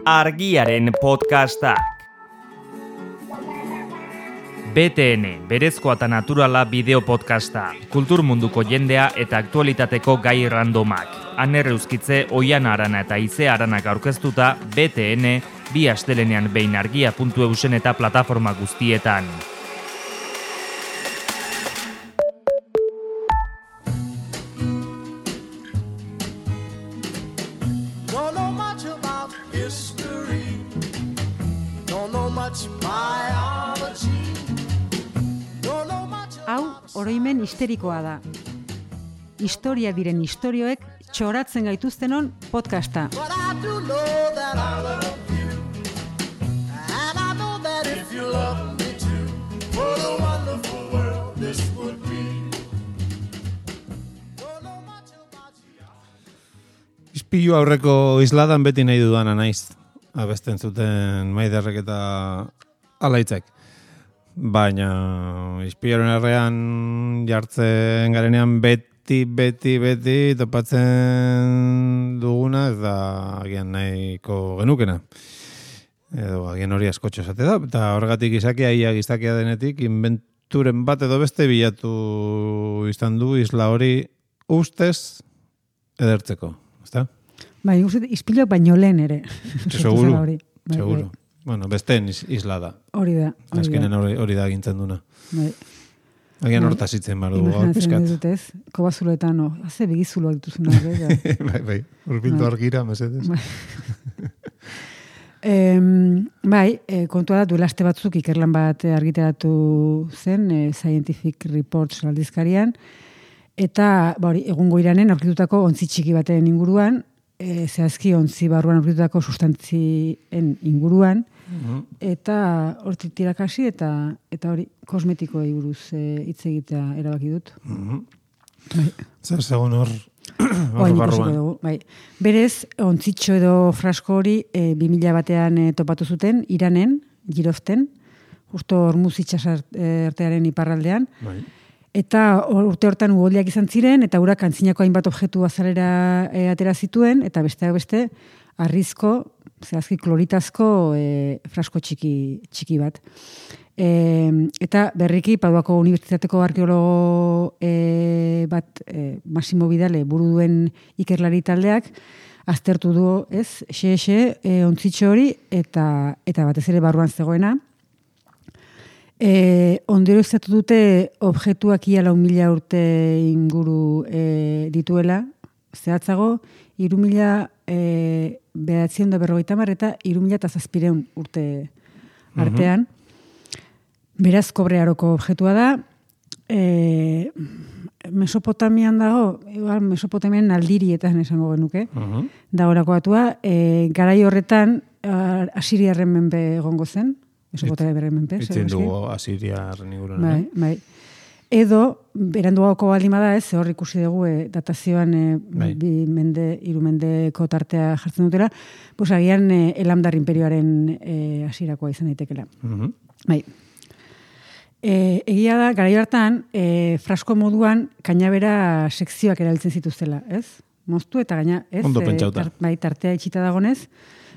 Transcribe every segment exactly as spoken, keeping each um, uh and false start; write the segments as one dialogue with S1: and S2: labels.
S1: Argiaren podcastak. B T N, berezkoa eta naturala bideo podcasta, kultur munduko jendea eta aktualitateko gai randomak. Aner Euskitze, Oiana Arana eta Ize Aranak aurkeztuta B T N, bi astelenean behin argia puntu eusen eta plataforma guztietan.
S2: Oroimen histerikoa da. Historia diren istorioek txoratzen gaituztenon podcasta.
S3: Ispilu aurreko isladan beti nahi dudana naiz. Abesten zuten Maiderrek eta Alaitzek. Baina ispiluaren errean jartzen garenean beti, beti, beti topatzen duguna ez da agian nahiko genukena. Edo agian hori askotxo esate da. Eta horregatik izakia ia gizakia denetik inventuren bat edo beste bilatu izan du isla hori ustez edertzeko. Ezta?
S2: Bai, ustez ispiluak baino lehen ere.
S3: Seguro, seguro. Bueno, besteen isla da.
S2: Hori da.
S3: Azkenen hori, hori da gintzen duna.
S2: Bai.
S3: Agian hortaz itzen bar dugu.
S2: Imaginatzen dutez, kobazuloetan, no, haze begizuloak dituzuna.
S3: Bai, bai, urbildu argira, mesedez.
S2: Bai, e, bai e, kontua da, duela aste batzuk ikerlan bat argitaratu zen, e, Scientific Reports aldizkarian, eta ba, hori, egungo iranen aurkitutako ontzi txiki baten inguruan, E, zehazki ontzi barruan aurkitutako sustantzien inguruan, uh-huh. eta hortik tirakasi eta eta hori kosmetikoei buruz hitz e, egitea erabaki dut.
S3: Uh-huh.
S2: Bai.
S3: Zer segun hor,
S2: hor barruan. Dugu, bai. Berez, ontzitxo edo frasko hori e, bi mila batean e, topatu zuten, Iranen, Giroften, justo Hormuz itxasartearen iparraldean, bai. Eta urte hortan uholdeak izan ziren, eta urak antzinako hainbat objektu azalera e, atera zituen, eta besteak beste, arrizko, zehazki kloritazko e, frasko txiki, txiki bat. E, eta berriki, Paduako Unibertsitateko arkeologo e, bat, e, Massimo Vidale buru duen ikerlari taldeak, aztertu du, ez, xe-xe, e, ontzitxo hori, eta, eta batez ere barruan zegoena. E, ondero izatu dute objektuak ia lau mila urte inguru e, dituela, zehatzago, iru mila e, behatzion da berrogeita mar eta iru mila eta zazpireun urte artean. Uh-huh. Beraz, kobrearoko objektua da. E, Mesopotamian dago, igual Mesopotamian aldirietan esango genuke, uh-huh. dagoelako batua, e, garai horretan Asiriarren menpe egongo zen, Mesopotamia berren menpe.
S3: Itzen dugu Asiriarren inguruan.
S2: Bai, bai. Edo, beranduako baldin bada ez, hor ikusi dugu e, datazioan e, bai. bi mende, hiru mendeko tartea jartzen dutela, pues agian e, Elamdar imperioaren e, hasirakoa izan daitekela. Uh-huh. Bai. E, egia da, garai hartan, e, frasko moduan kainabera sekzioak erabiltzen zituztela, ez? Moztu eta gaina, ez?
S3: Ondo pentsauta.
S2: E, tar, bai, tartea itxita dagonez.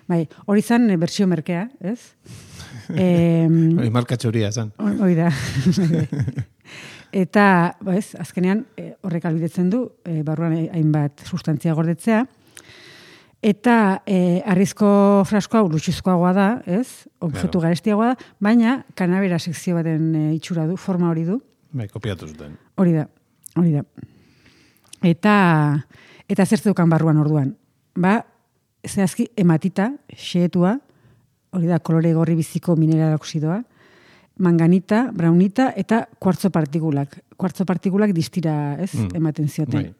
S2: Bai, hori zan e, bertsio merkea, ez? Eh,
S3: hori marka txoria zan.
S2: Hori da. Eta, bez, azkenean horrek albidetzen du, e, barruan hainbat sustantzia gordetzea. Eta e, arrizko fraskoa lutxuzkoagoa da, ez? Objektu claro. Garestiagoa da, baina kanabera sekzio baten e, itxura du, forma hori du.
S3: Bai, kopiatu zuten.
S2: Hori da, hori da. Eta, eta zer zeukan barruan orduan. Ba, zehazki ematita, xeetua, hori da, kolore gorri biziko mineral oksidoa, manganita, braunita eta kuartzo partikulak. Kuartzo partikulak distira, ez, mm. ematen zioten. Bai.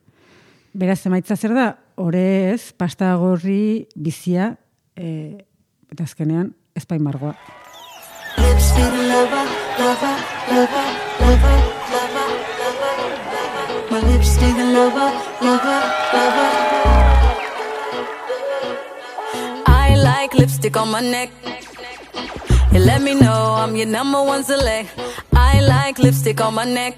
S2: Beraz, emaitza zer da, ore ez, pasta gorri bizia, e, eta azkenean, ezpain margoa. Lipstick lover, lover, lover, lover, lover, lover, my lipstick lover, lover, lover. I like lipstick on my neck. You let me know I'm your number one select. I like lipstick on my neck.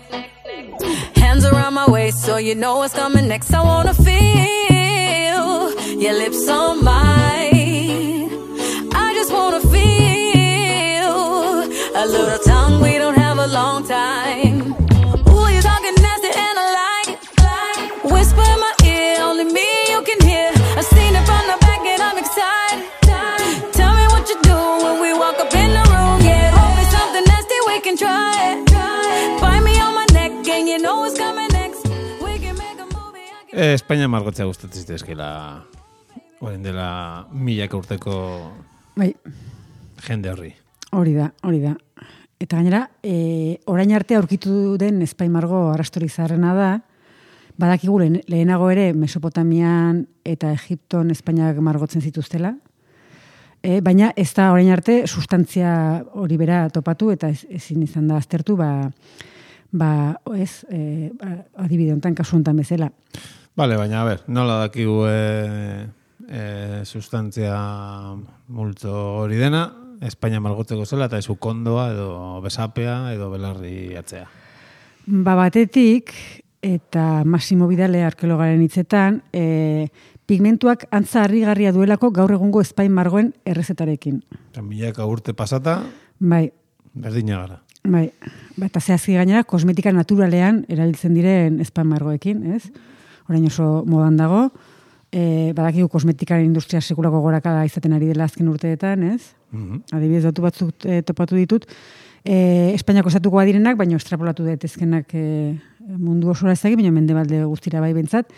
S2: Hands around my waist so you know what's coming next. I wanna feel your lips on mine.
S4: little tongue, we don't have a long time. Ooh, you're talking nasty and I like it. Whisper in my ear, only me you can hear. I've seen it from the back and I'm excited. Tell me what you do when we walk up in the room. Yeah, hold me something nasty, we can try it. Bite me on my neck and you know what's coming next. We can make a movie.
S3: Eh, Espainia margotzea gustatzen zitezkela orain dela milaka urteko
S2: bai.
S3: Jende horri.
S2: Hori da, hori da. Eta gainera, e, orain arte aurkitu den Espaimargo arrastorik zaharrena da, badakigu lehenago ere Mesopotamian eta Egipton Espainiak margotzen zituztela, e, baina ez da orain arte sustantzia hori bera topatu eta ez, ezin izan da aztertu, ba, ba ez, e, adibide honetan, kasu honetan bezala.
S3: Bale, baina, a ber, nola dakigu e, e, sustantzia multzo hori dena, Espainia margotzeko zela, eta ez ukondoa, edo besapea, edo belarri atzea.
S2: Ba batetik, eta Massimo Vidale arkeologaren hitzetan, e, pigmentuak antza harrigarria duelako gaur egungo Espain margoen errezetarekin.
S3: Eta milaka urte pasata,
S2: bai.
S3: Berdina gara.
S2: Bai, ba, eta zehazki gainera, kosmetika naturalean erabiltzen diren Espain margoekin, ez? Orain oso modan dago, e, badakigu kosmetikaren industria sekulako gorakada izaten ari dela azken urteetan, ez? Mm-hmm. Adibidez, datu batzuk e, topatu ditut, e, Espainiako estatukoa direnak, baina estrapolatu daitezkenak e, mundu osora ez dakit, baina mendebalde guztira bai bentsat.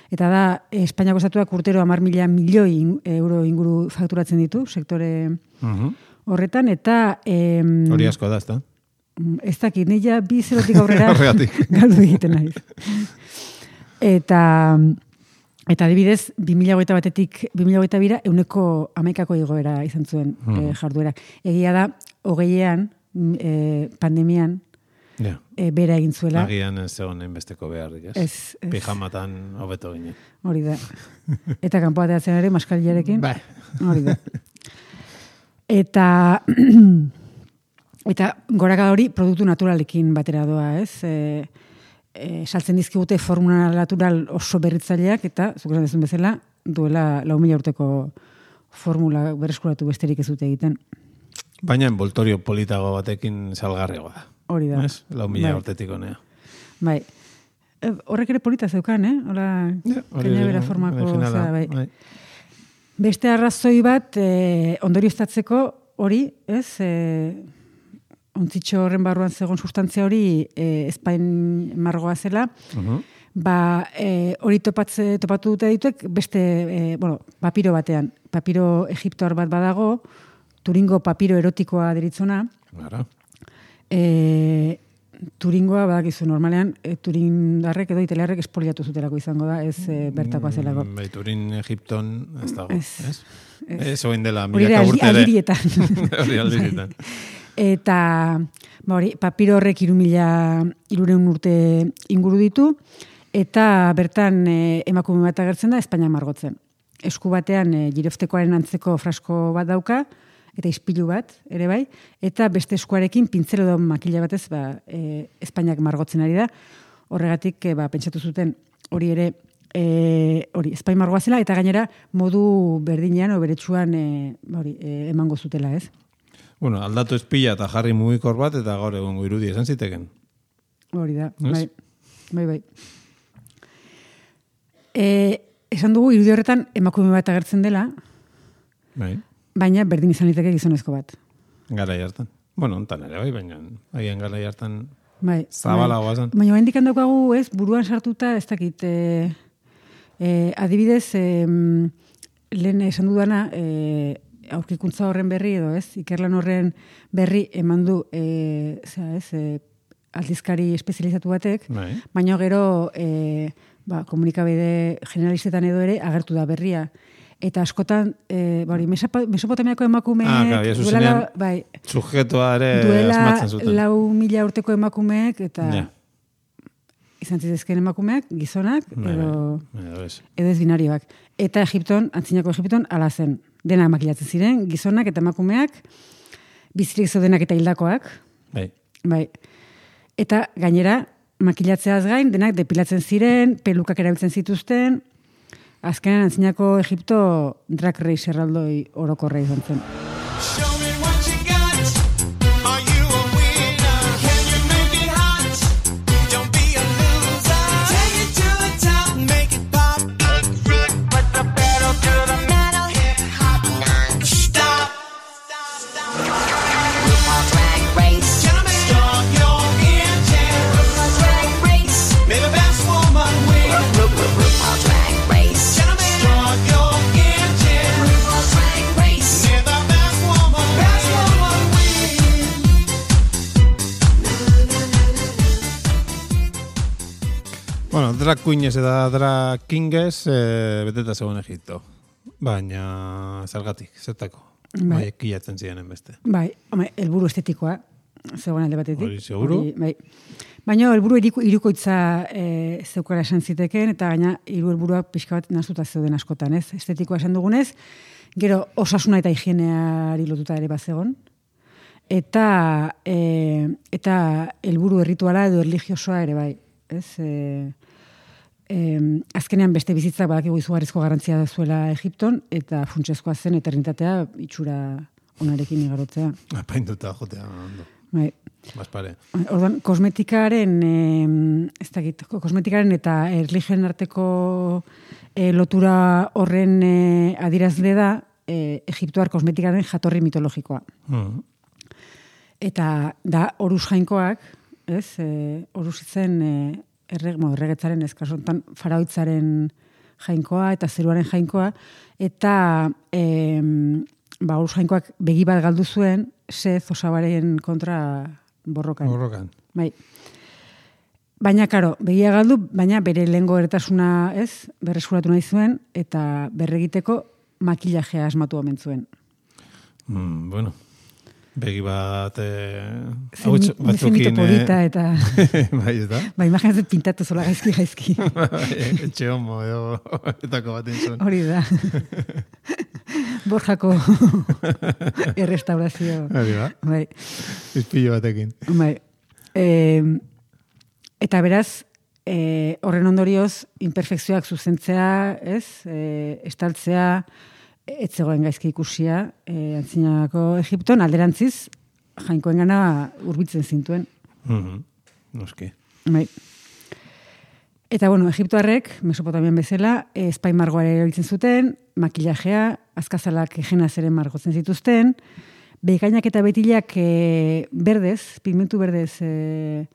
S2: Eta da, Espainiako estatuak urtero hamar mila milioi euro inguru fakturatzen ditu, sektore mm-hmm. horretan, eta... E,
S3: hori asko da, ez da?
S2: Ez dakit, nila bi zerotik aurrera galdu egiten naiz. Eta... Eta adibidez, bi mila hogeita batetik bi mila hogeita bira, euneko hamaikako igoera izan zuen mm. e, jarduera. Egia da, hogeian, e, pandemian, yeah. e, bera egin zuela.
S3: Agian ez zegoen besteko beharrik, ez? Ez, ez. Pijamatan hobeto ginen.
S2: Hori da. Eta kanpoa teatzen ere, maskaliarekin.
S3: Bai.
S2: Hori da. Eta... eta gorakada hori produktu naturalekin batera doa, ez? E, E, saltzen dizkigute formula natural oso berritzaileak eta, zuk esan dezun bezala, duela lau mila urteko formula berreskuratu besterik ez dute egiten.
S3: Baina envoltorio politago batekin salgarriagoa da.
S2: Hori da.
S3: Ez? Lau mila bai. Urtetik honea.
S2: Bai. E, horrek ere polita zeukan, eh? Hola, ja, kainabera formako. Zera, bai. Bai. Beste arrazoi bat, e, ondorioztatzeko hori, ez? E, ontzitxo horren barruan zegoen sustantzia hori e, Espain margoa zela, uh-huh. ba, e, hori topatze, topatu dute dituek beste, e, bueno, papiro batean. Papiro egiptoar bat badago, Turingo papiro erotikoa deritzona.
S3: Gara.
S2: E, Turingoa, badakizu normalean, e, turindarrek edo italiarrek espoliatu zutelako izango da, ez e, bertakoa zelako.
S3: Mm, bai, Turin, Egipton, ez dago,
S2: ez?
S3: Ez, ez? ez oin dela, milaka urte ere. Hori aldirietan.
S2: Eta ba hori, papiro horrek irumila irureun urte inguru ditu, eta bertan e, emakume bat agertzen da Espainia margotzen. Esku batean e, giroftekoaren antzeko frasko bat dauka, eta ispilu bat, ere bai, eta beste eskuarekin pintzelo da makila batez ba, e, Espainiak margotzen ari da. Horregatik e, ba, pentsatu zuten hori ere e, hori Espain margoa zela, eta gainera modu berdinean o beretsuan e, hori, e, emango zutela, ez?
S3: Bueno, aldatu espila eta jarri mugikor bat, eta gaur egongo irudi esan ziteken.
S2: Hori da, bai, bai, bai. E, esan dugu, irudi horretan emakume bat agertzen dela, bai. Baina berdin izan liteke gizonezko bat.
S3: Garai hartan. Bueno, ontan ere, bai, baina haien garai hartan
S2: bai,
S3: zabalagoa zen.
S2: Baina baina indikan daukagu, ez, buruan sartuta, ez dakit, e, e, adibidez, e, lehen esan dudana, e, aurkikuntza horren berri edo, ez? Ikerlan horren berri eman du e, zera, ez, e, aldizkari espezializatu batek, bai. Baina gero e, ba, komunikabide generalistetan edo ere agertu da berria. Eta askotan, e, bari, Mesopotamiako emakumeek
S3: ah, claro, duela,
S2: bai,
S3: sujetoa ere asmatzen zuten.
S2: Duela lau mila urteko emakumeek, eta yeah. izan zitezken emakumeak, gizonak, bai, edo, bai, edo ez binarioak. Eta Egipton, antzinako Egipton, ala zen. Dena makilatzen ziren, gizonak eta emakumeak, bizirik zaudenak eta hildakoak. Bai. Bai. Eta gainera, makilatzeaz gain, denak depilatzen ziren, pelukak erabiltzen zituzten, azkenan antzinako Egipto drag race erraldoi orokorra izan zen.
S3: drag queenez eta drag kingez e, beteta zegoen Egipto. Baina zergatik, zertako. Bai, kilatzen ziren beste.
S2: Bai, home, helburu estetikoa zegoen alde batetik.
S3: Hori, seguru?
S2: Hori, bai. Baina helburu hirukoitza e, zeukara esan ziteken, eta gaina hiru helburuak pixka bat nahastuta zeuden askotan, ez? Estetikoa esan dugunez, gero osasuna eta higieneari lotuta ere bazegon, eta e, eta helburu errituala edo erlijiosoa ere bai, ez? E, e, azkenean beste bizitzak badakigu izugarrizko garrantzia zuela Egipton, eta funtsezkoa zen eternitatea itxura onarekin igarotzea.
S3: Apainduta jotea ondo.
S2: Bai.
S3: Baspare.
S2: Orduan, kosmetikaren, eh, ez dakit, kosmetikaren eta erlijioen arteko eh, lotura horren eh, adirazle da eh, Egiptoar kosmetikaren jatorri mitologikoa.
S3: Mm.
S2: Eta da oruz jainkoak, ez, eh, oruz itzen eh, erreg, mo, erregetzaren eskasontan faraoitzaren jainkoa eta zeruaren jainkoa, eta eh, ba, oruz jainkoak begi bat galdu zuen, Sez osabaren kontra borrokan.
S3: Borrokan.
S2: Bai. Baina, karo, begia galdu, baina bere lehengo erretasuna, ez, berreskuratu nahi zuen, eta berregiteko makillajea asmatu omen zuen.
S3: Mm, bueno, begi bat... Eh,
S2: Zenito polita eta...
S3: bai, ez da?
S2: Ba, imaginatzen pintatu zola gaizki gaizki.
S3: Etxe homo, edo, etako bat entzun.
S2: Hori da. Borjako errestaurazio.
S3: Hori ba?
S2: Bai.
S3: Izpillo batekin.
S2: Bai. E, eta beraz, e, horren ondorioz, imperfekzioak zuzentzea, ez? E, estaltzea, ez zegoen gaizki ikusia, e, antzinako Egipton, alderantziz, jainkoen gana urbitzen zintuen.
S3: Mm-hmm. Noski.
S2: Bai. Eta, bueno, Egiptoarrek, Mesopotamian bezala, espai margoare erabiltzen zuten, makillajea, azkazalak egenaz ere margotzen zituzten, bekainak eta betilak e, berdez, pigmentu berdez e,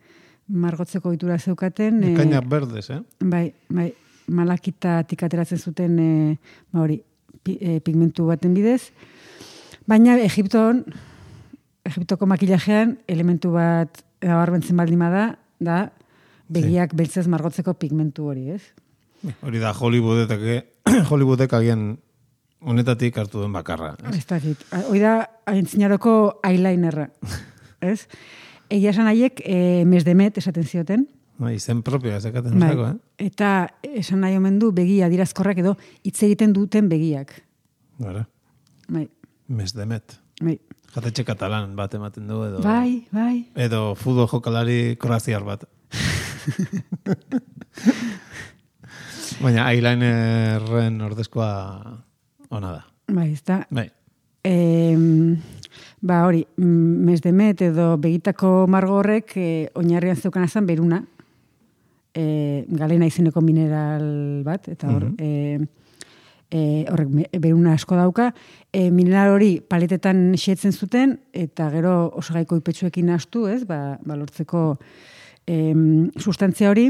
S2: margotzeko ohitura zeukaten.
S3: Bekainak e, berdez, eh?
S2: Bai, bai, malakitatik ateratzen zuten e, ba hori, pi, e, pigmentu baten bidez. Baina Egipton, Egiptoko makillajean, elementu bat nabarmentzen baldin bada, da, begiak sí. Beltzez margotzeko pigmentu hori, ez?
S3: Hori da Hollywoodetak, Hollywoodek agian honetatik hartu den bakarra.
S2: Ez dakit. Hori da aintzinaroko eyelinerra, ez? Egia esan haiek e, mesdemet esaten zioten.
S3: Ba, izen propioa ezakaten bai. Zako, eh?
S2: Eta esan nahi omen du begi adirazkorrak edo hitz egiten duten begiak.
S3: Bara.
S2: Bai.
S3: Mesdemet.
S2: Bai.
S3: Jatetxe katalan bat ematen du edo...
S2: Bai, bai.
S3: Edo futbol jokalari kroaziar bat. Baina eyelinerren ordezkoa ona da.
S2: Bai, ez da.
S3: Bai.
S2: E, ba hori, mesdemet edo begitako margo horrek e, oinarrian zeukan azan beruna. E, galena izeneko mineral bat, eta hor... Mm-hmm. e, E, horrek beruna asko dauka, e, mineral hori paletetan xetzen zuten, eta gero osagaiko ipetxuekin astu, ez, ba, ba lortzeko e, sustantzia hori,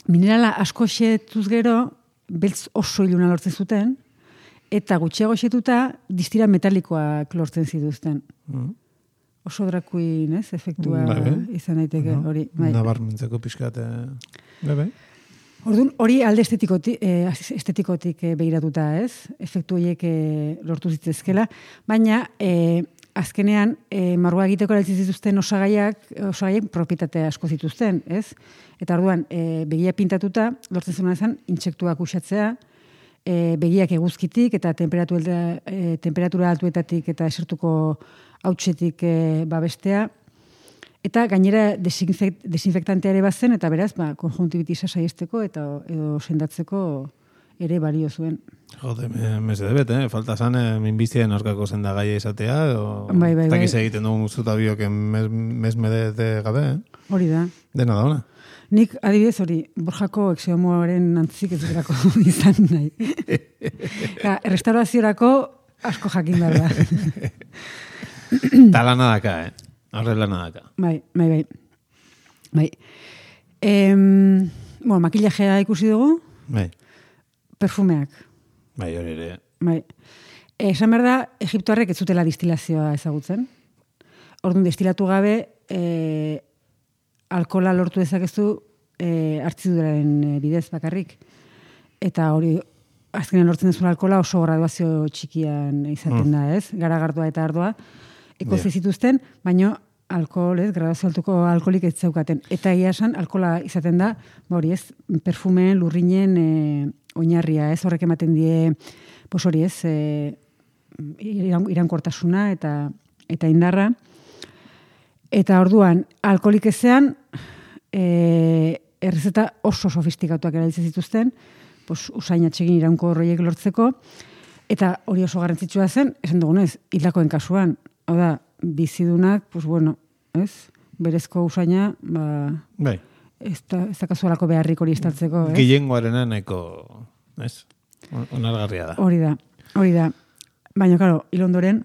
S2: minerala asko xetuz gero, beltz oso iluna lortzen zuten, eta gutxiago xetuta, distira metalikoak lortzen zituzten. Mm. Oso drakuin, ez, efektua
S3: Babe.
S2: Izan daiteke hori.
S3: Bai. Nabarmentzeko pixkat, bebe.
S2: Orduan, hori alde estetikotik, eh, estetikotik eh, behiratuta, ez? Efektu horiek eh, lortu zitzezkela. Baina, eh, azkenean, eh, margoa egiteko erabiltzen zituzten osagaiak, osagaiak propietatea asko zituzten, ez? Eta orduan, eh, begia pintatuta, lortzen zuen ezan, intsektuak usatzea, eh, begiak eguzkitik eta temperatura, eh, temperatura altuetatik eta esertuko hautsetik eh, babestea. Eta gainera desinfekt, desinfektantea ere bazen, eta beraz, ba, konjuntibitisa saiesteko eta edo sendatzeko ere balio zuen.
S3: Jode, meze debet, eh? Falta zan, eh, minbizien aurkako zendagaia izatea, o...
S2: Bai, bai, bai.
S3: Takiz egiten dugu zuta bioken mes, mes medete gabe, eh?
S2: Hori da.
S3: Dena da ona.
S2: Nik, adibidez, hori, Borjako exeomoaren antzik ez durako izan nahi. Ja, restauraziorako asko jakin behar da.
S3: Talana daka, eh? Horrela nadaka.
S2: Bai, bai, bai. Bai. Em, bueno, makillajea ikusi dugu.
S3: Bai.
S2: Perfumeak.
S3: Bai, hori ere.
S2: Bai. Esan behar da, Egiptoarrek ez zutela distilazioa ezagutzen. Orduan, destilatu gabe, e, alkohola lortu dezakezu e, hartziduraren bidez bakarrik. Eta hori, azkenean lortzen duzun alkohola oso graduazio txikian izaten da, ez? Garagardoa eta ardoa. Ekozi yeah. zituzten, baino alkohol, ez? Graduazio altuko alkoholik ez zeukaten. Eta ia esan, alkohola izaten da, hori ez, perfumeen, lurrinen e, oinarria, ez? Horrek ematen die, pos hori ez, e, irankortasuna eta, eta indarra. Eta orduan, alkoholik ezean, e, errezeta oso sofistikatuak erabiltzen zituzten, pos, usain atsegin iraunko horroiek lortzeko, eta hori oso garrantzitsua zen, esan dugunez, hildakoen kasuan, hau da, bizidunak, pues bueno, ez? Berezko usaina, ba,
S3: bai.
S2: ez da, ez da kasualako beharrik hori estaltzeko, ez?
S3: Gehiengoaren nahiko, ez? Onargarria da.
S2: Hori da, hori da. Baina, klaro, hil ondoren,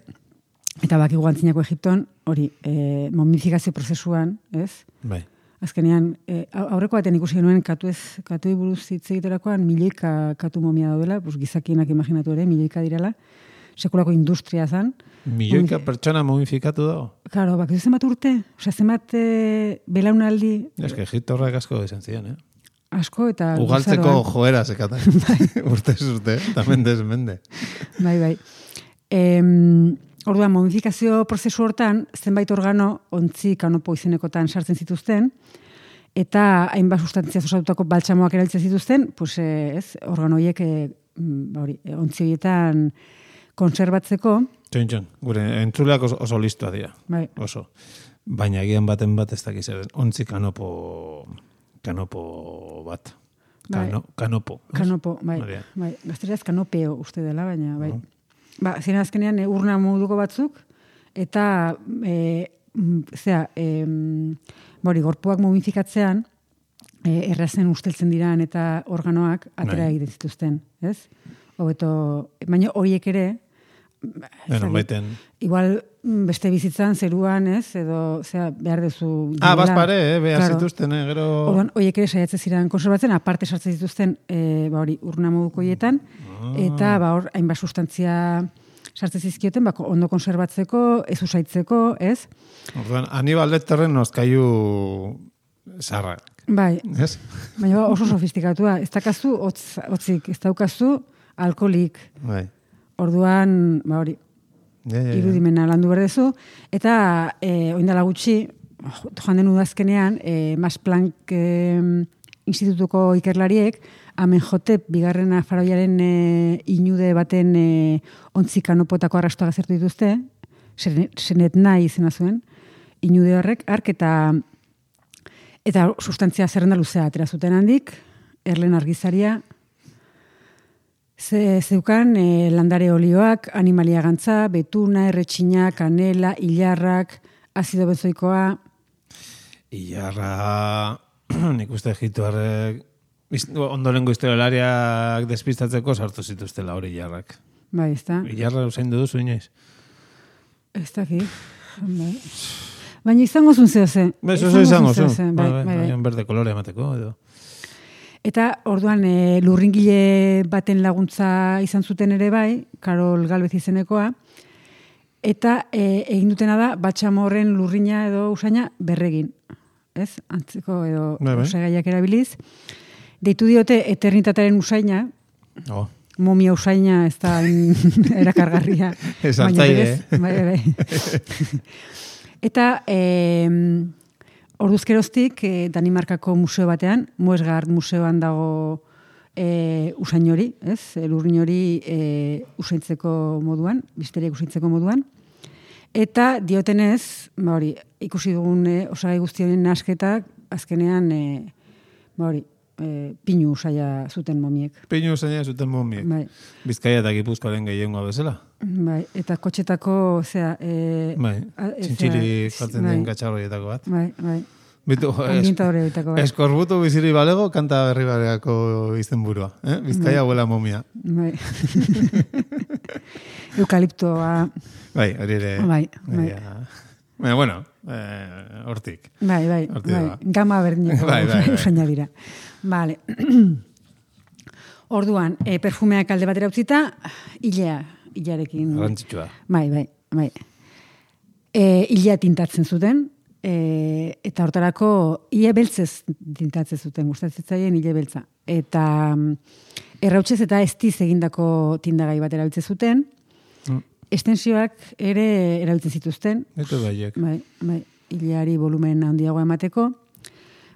S2: eta baki guantzinako Egipton, hori, e, momifikazio prozesuan, ez?
S3: Bai.
S2: Azkenean, e, aurreko batean ikusi genuen katu ez, katu buruz hitz egiterakoan milioika katu momia daudela, pues gizakienak imaginatu ere, milioika direla, sekulako industria zan.
S3: Milioika pertsona momifikatu dago?
S2: Claro, bak, zenbat urte? Osea, zenbat e, belaunaldi...
S3: Ez que Egipto horrek asko izan ziren, eh?
S2: Asko eta...
S3: Ugaltzeko joera zekaten. Urtez urte, tamen desmende.
S2: Bai, bai. E, Orduan, momifikazio prozesu hortan, zenbait organo ontzi kanopo izenekotan sartzen zituzten, eta hainbat sustantzia osatutako baltsamoak erabiltzen zituzten, pues, ez, organo horiek e, hori, ontzi horietan konserbatzeko.
S3: Txon, txon, gure entzuleak oso, oso listoa dira.
S2: Bai.
S3: Oso. Baina egian baten bat ez dakiz eren. Ontzi kanopo, kanopo bat. Kano, bai. Kanopo.
S2: Kanopo, bai. bai. Gazteraz kanopeo uste dela, baina, bai. No. Ba, ziren azkenean urna moduko batzuk, eta e, zera, e, bori, gorpuak momifikatzean, e, errazen usteltzen diran eta organoak atera egiten zituzten, ez? Hobeto, baina horiek ere,
S3: bueno, baiten...
S2: igual beste bizitzan, zeruan, ez? Edo, zera, behar dezu...
S3: Ah, bazpare, eh? Behar claro. Zituzten, eh? Gero...
S2: Orduan, horiek ere saiatzen ziren konserbatzen, aparte sartzen zituzten, e, ba hori, urna moduko hietan, ah. Eta, ba hor, hainbat sustantzia sartzen zizkioten, ba, ondo konserbatzeko, ez usaitzeko, ez?
S3: Orduan, Anibal Lecterren nozkaiu zarra.
S2: Bai,
S3: ez?
S2: Baina oso sofistikatua, ez dakazu hotz, hotzik, ez daukazu alkoholik.
S3: Bai.
S2: Orduan, ba hori,
S3: ja, ja, ja.
S2: irudimena landu berdezu, eta e, oindala gutxi, joan den udazkenean, e, Max Planck e, institutuko ikerlariek, Amenhotep bigarrena faraoiaren e, inude baten e, ontzi kanopotako arrastoa gazertu dituzte, senet nahi izena zuen, inude horrek, ark eta eta sustantzia zerrenda luzea atera zuten handik, erlen argizaria, ze, zeukan e, landare olioak, animalia gantza, betuna, erretxina, kanela, hilarrak, azido benzoikoa.
S3: Hilarra, nik uste Egiptoarrek, ondorengo historialariak despistatzeko sartu zituztela hori hilarrak.
S2: Bai, ez da.
S3: Hilarra usain duzu inoiz?
S2: Ez da ki. Bai. Baina izango zun zeo ze.
S3: Bez, oso izango zun.
S2: Bai, bai, bai.
S3: Baina berde kolore emateko, edo.
S2: Eta orduan e, lurringile baten laguntza izan zuten ere bai, Karol Galvez izenekoa, eta e, egin dutena da batxamorren lurrina edo usaina berregin. Ez? Antzeko edo bai, bai. Osagaiak erabiliz. Deitu diote eternitatearen usaina, oh. Momia usaina ez da erakargarria.
S3: Ez altzaile, eh?
S2: Bai, bai. Eta e, orduzkeroztik e, Danimarkako museo batean, Moesgaard museoan dago e, usain hori, ez? Lurrin hori e, usaintzeko moduan, bisteriak usaintzeko moduan. Eta diotenez, ba hori, ikusi dugun e, osagai guztien nasketak, azkenean, e, ba hori, e, pinu usaia zuten momiek.
S3: Pinu usaia zuten momiek. Bai. Bizkaia eta Gipuzkoaren gehiengoa bezala.
S2: Bai, eta kotxetako, zera... E,
S3: bai, txintxiri jartzen bai. Den gatxarroietako bat.
S2: Bai, bai.
S3: Bitu, es, eskorbutu biziri balego, kanta berri bareako izten burua. Eh? Bizkaia bai. Huela momia.
S2: Bai. Eukaliptoa.
S3: Bai, hori ere.
S2: Bai, bai.
S3: Baina, bueno, eh, hortik.
S2: Bai, bai, hortik bai. Ba. Gama berdineko bai, bai, bai. Usaina dira. Vale. Orduan, e, perfumeak alde batera utzita, hilea, hilearekin.
S3: Arrantzitsua.
S2: Bai, bai, bai. E, hilea tintatzen zuten, E, eta hortarako ile beltzez tintatzen zuten, gustatzen ile beltza. Eta errautsez eta estiz egindako tindagai bat erabiltzen zuten, mm. estensioak ere erabiltzen zituzten.
S3: Eta baiek.
S2: Bai, bai, ileari volumen handiagoa emateko.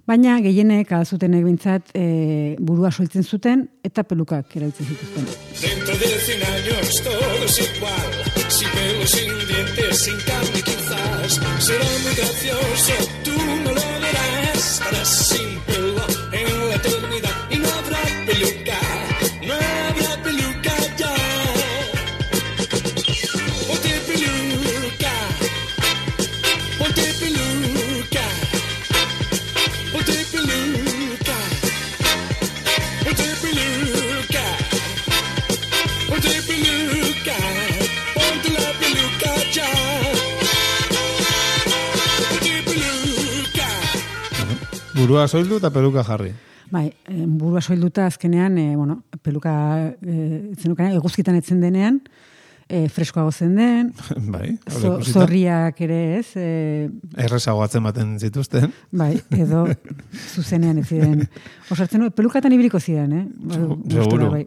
S2: Baina gehienek alzutenek bintzat e, burua soltzen zuten eta pelukak erabiltzen zituzten.
S5: Dentro de cien años todo es igual, sin pelo, sin dientes, sin carne quizás. Será muy gracioso, tú no lo verás. Estarás sin pelo en la eternidad y no habrá peluca, no habrá peluca ya. Ponte peluca, ponte peluca, ponte peluca, ponte peluca, ponte peluca, ponte la peluca ya.
S3: Burua soildu eta peluka jarri.
S2: Bai, burua soilduta azkenean, e, bueno, peluka e, zenukan, eguzkitan etzen denean, e, freskoago zen den,
S3: bai,
S2: zo, zorriak ere ez. E,
S3: Errezago atzematen zituzten.
S2: Bai, edo zuzenean ez ziren. Osartzen, pelukatan ibiliko ziren, eh?
S3: Seguro.
S2: Bai.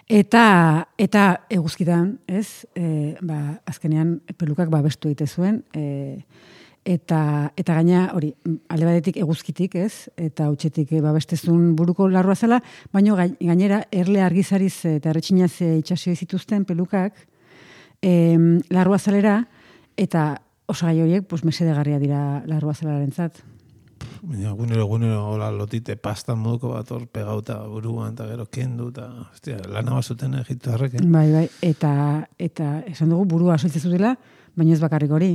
S2: Eta, eta eguzkitan, ez, e, ba, azkenean pelukak babestu egite zuen, e, Eta, eta gaina, hori, alde batetik eguzkitik, ez? Eta hutsetik e, babestezun buruko larrua zela, baina gainera erle argizariz eta erretxinaz itxasio zituzten pelukak e, larrua zalera, eta osagai horiek pues, mesedegarria dira larrua zalararen zat.
S3: Baina, gunero, gunero, hola, lotite pasta moduko bat hor pegauta buruan, eta gero kendu, eta, hostia, lana bazuten Egipto harrek, eh?
S2: Bai, bai, eta, eta esan dugu burua soitzen zutela, baina ez bakarrik hori.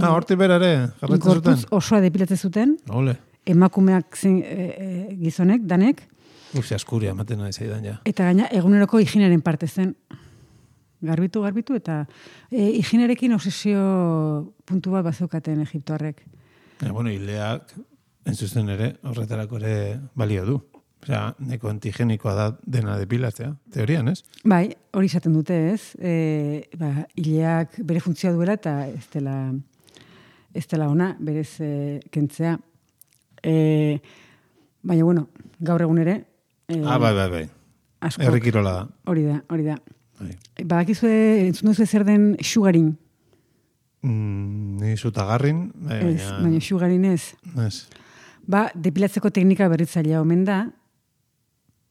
S3: Ah, horti berare, jarretzen zuten.
S2: Gorputz osoa depilatzen zuten.
S3: Ole.
S2: Emakumeak zen, e, e, gizonek, danek.
S3: Uzi, askuria, ematen nahi zaidan ja.
S2: Eta gaina, eguneroko higienaren parte zen. Garbitu, garbitu, eta e, higienerekin obsesio puntu bat bazeukaten Egiptoarrek.
S3: E, bueno, hileak, entzuzen ere, horretarako ere balio du. Osea, neko antigenikoa da dena depilatzea, teorian, ez?
S2: Bai, hori izaten dute, ez? E, ba, hileak bere funtzioa duela eta ez dela... ez dela ona, berez e, kentzea. E, baina, bueno, gaur egun ere... E,
S3: ah, bai, bai, bai. Errikirola da.
S2: Hori da, hori da.
S3: Bai.
S2: Badakizue, entzun duzu zer den sugarin?
S3: Mm, ni zutagarrin. Bai,
S2: ez, baina, baina sugarin ez.
S3: Ez.
S2: Ba, depilatzeko teknika berritzailea omen da,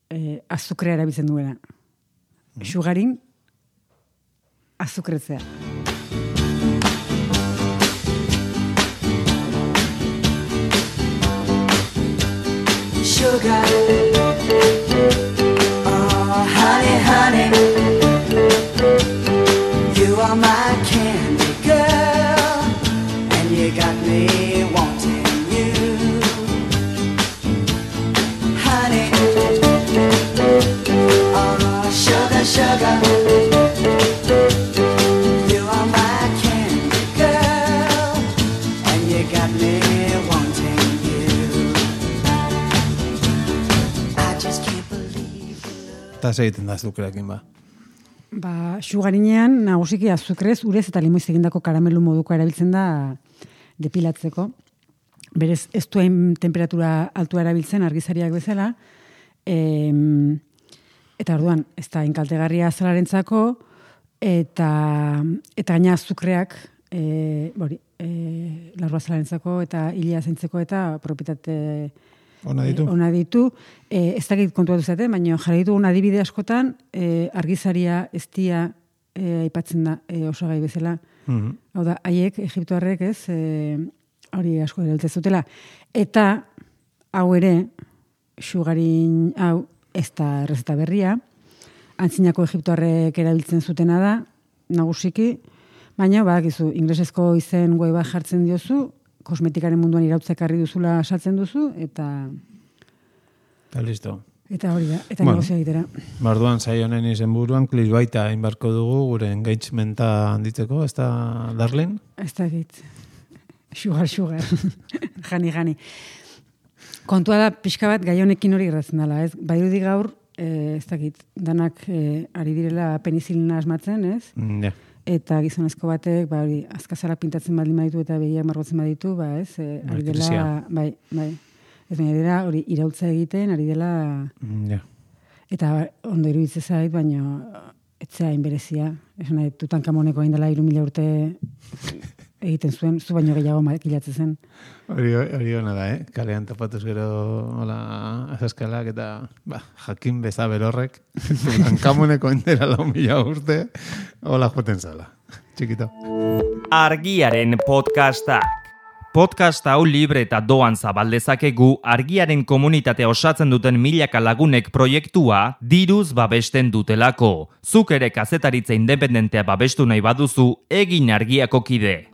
S2: e, azukrea erabiltzen duena. Mm. Sugarin, azukretzea.
S6: Sugar, oh honey, honey, you are my candy girl, and you got me wanting you, honey, oh sugar, sugar, you are my candy girl, and you got me wanting you.
S3: Eta segiten da azukreakin ba.
S2: Ba, sugarinean nagusiki azukrez, urez eta limoiz egindako karamelu moduko erabiltzen da depilatzeko. Berez, ez duen temperatura altua erabiltzen argizariak bezala. E, eta orduan, ez da inkaltegarria zalarentzako, eta, eta gaina azukreak, e, bori, e, larrua zalarentzako eta hilea zaintzeko eta propietate...
S3: Ona ditu.
S2: E, ona ditu. E, ez dakit kontuatu zate, baina jarri ditu adibide askotan, e, argizaria eztia e, aipatzen da e, osagai bezala. Mm-hmm. Hau da, haiek, Egiptoarrek ez, e, hori asko erabiltzen zutela. Eta, hau ere, sugarin, hau, ez da errezeta berria, antzinako Egiptoarrek erabiltzen zutena da, nagusiki, baina, badakizu, inglesezko izen guai bat jartzen diozu, kosmetikaren munduan irautzekarri duzula saltzen duzu, eta...
S3: Eta listo.
S2: Eta hori da, eta bueno, negozio egitera.
S3: Barduan, zai honen izen buruan, klisbaita inbarko dugu, gure engagementa handitzeko, ez da Darlene?
S2: Ez da egit. Sugar, sugar. Jani, jani. Kontua da, pixka bat, gai honekin hori gertatzen dela, ez? Badirudi gaur, eh, ez dakit, danak eh, ari direla penizilina asmatzen, ez?
S3: Mm, yeah.
S2: eta gizonezko batek, ba, hori, azkazara pintatzen baldin baditu eta begiak margotzen baditu, ba, ez, e, ari dela, bai, bai, ez baina dira, hori, iraultza egiten, ari dela,
S3: mm, yeah.
S2: Eta ondo iruditzen zait, baina etzea inberezia. Esan nahi, Tutankamoneko hain dela hiru mila urte egiten zuen, zu baino gehiago makilatzen zen.
S3: Hori, hori hona da, eh? Kalean topatuz gero hola azaskalak eta ba, jakin beza berorrek Tutankamoneko hain dela lau mila urte hola joten zala. Txikito.
S1: Argiaren podcastak. Podcast hau libre eta doan zabaldezakegu argiaren komunitatea osatzen duten milaka lagunek proiektua diruz babesten dutelako. Zuk ere kazetaritza independentea babestu nahi baduzu, egin argiako kide.